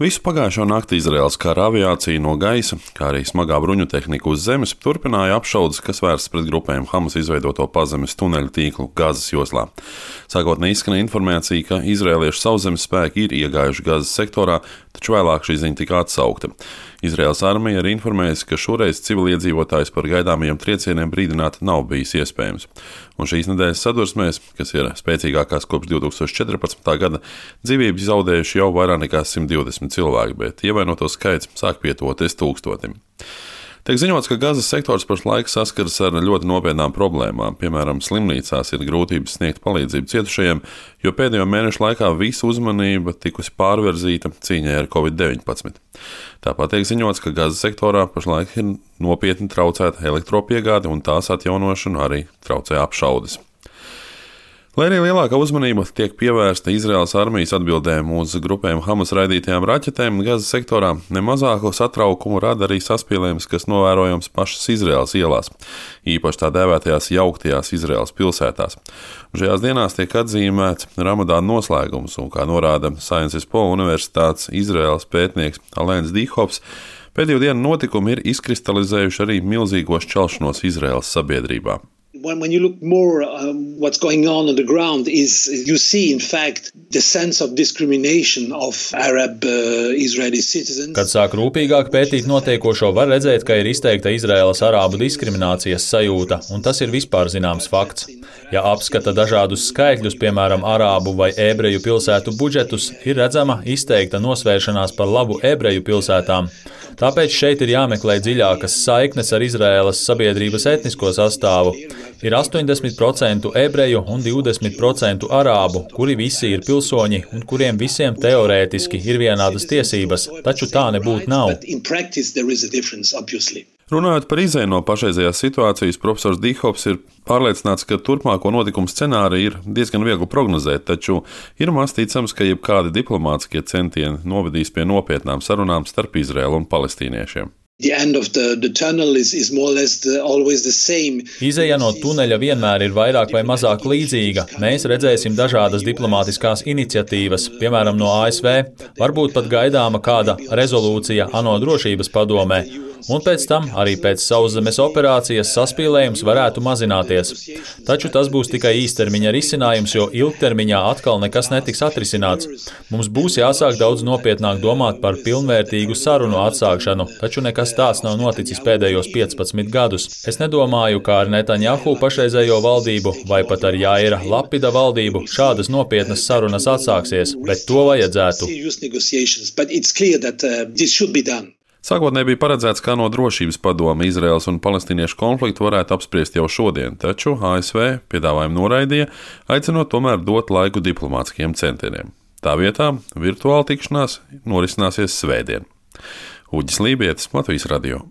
Visu pagājušo nakti Izraēlas kara aviācija no gaisa, kā arī smagā bruņu tehnika uz zemes, turpināja apšaudes, kas vērstas pret grupēm Hamas izveidoto pazemes tuneļu tīklu Gazas joslā. Sākotnēji izskanēja informācija, ka izraēliešu sauszemes spēki ir iegājuši Gazas sektorā, taču vēlāk šī ziņa tika atsaukta. Izraēlas armija ir informējusi, ka šoreiz civiliedzīvotājus par gaidāmajiem triecieniem brīdināt nav bijis iespējams. Un šīs nedēļas sadursmēs, kas ir spēcīgākās kopš 2014. gada, dzīvības zaudējuši jau vairāk nekā 120 cilvēki, bet ievainoto skaits sāk pietuvoties 1000. Tiek ziņots, ka Gazas sektors pašlaik saskaras ar ļoti nopietnām problēmām. Piemēram, slimnīcās ir grūtības sniegt palīdzību cietušajiem, jo pēdējo mēnešu laikā visa uzmanība tikusi pārvirzīta cīņai ar Covid-19. Tāpat tiek ziņots, ka Gazas sektorā pašlaik ir nopietni traucēta elektropiegāde un tās atjaunošanu arī traucē apšaudes. Lai arī lielākā uzmanība tiek pievērsta Izraēlas armijas atbildēm uz grupēm Hamas raidītajām raķetēm, Gazas sektorā nemazāko satraukumu rada arī saspīlējums, kas novērojams pašas Izraēlas ielās, īpaši tā dēvētajās jauktajās Izraēlas pilsētās. Šajās dienās tiek atzīmēts Ramadāna noslēgums, un, kā norāda Sciences Po universitātes Izraēlas pētnieks Alēns Dīhofs, pēdējo dienu notikumi ir izkristalizējuši arī milzīgo šķelšanos Izraēlas sabiedrībā. When you look more what's going on the ground is you see in fact the sense of discrimination of Arab Israeli citizens. Kad sāk rūpīgāk pētīt notiekošo, var redzēt, ka ir izteikta Izraēlas arābu diskriminācijas sajūta, un tas ir vispār zināms fakts. Ja apskata dažādus skaitļus, piemēram, arābu vai ebreju pilsētu budžetus, ir redzama izteikta nosvēršanās par labu ebreju pilsētām. Tāpēc šeit ir jāmeklē dziļākas saiknes ar Izraēlas sabiedrības etnisko sastāvu. Ir 80% ebreju un 20% arābu, kuri visi ir pilsoņi un kuriem visiem teorētiski ir vienādas tiesības, taču tā nebūtu nav. Runājot par izēju no pašreizējās situācijas, profesors Dīhofs ir pārliecināts, ka turpmāko notikumu scenāriju ir diezgan viegli prognozēt, taču ir maz ticams, ka jebkādi diplomātiskie centieni novedīs pie nopietnām sarunām starp Izraēlu un palestīniešiem. Izeja no tuneļa vienmēr ir vairāk vai mazāk līdzīga. Mēs redzēsim dažādas diplomātiskās iniciatīvas, piemēram, no ASV, varbūt pat gaidāma kāda rezolūcija ANO drošības padomē, un pēc tam arī pēc sauszemes operācijas saspīlējums varētu mazināties. Taču tas būs tikai īstermiņa risinājums, jo ilgtermiņā atkal nekas netiks atrisināts. Mums būs jāsāk daudz nopietnāk domāt par pilnvērtīgu sarunu atsākšanu, taču nekas tāds nav noticis pēdējos 15 gadus. Es nedomāju, kā ar Netanjahu pašreizējo valdību vai pat ar Jaira Lapida valdību šādas nopietnas sarunas atsāksies, bet to vajadzētu. Sākotnēji bija paredzēts, ka ANO drošības padome Izraēlas un palestīniešu konfliktu varētu apspriest jau šodien, taču ASV piedāvājumu noraidīja, aicinot tomēr dot laiku diplomātiskiem centieniem. Tā vietā virtuāla tikšanās norisināsies svētdien. Uģis Lībietis, Latvijas radio.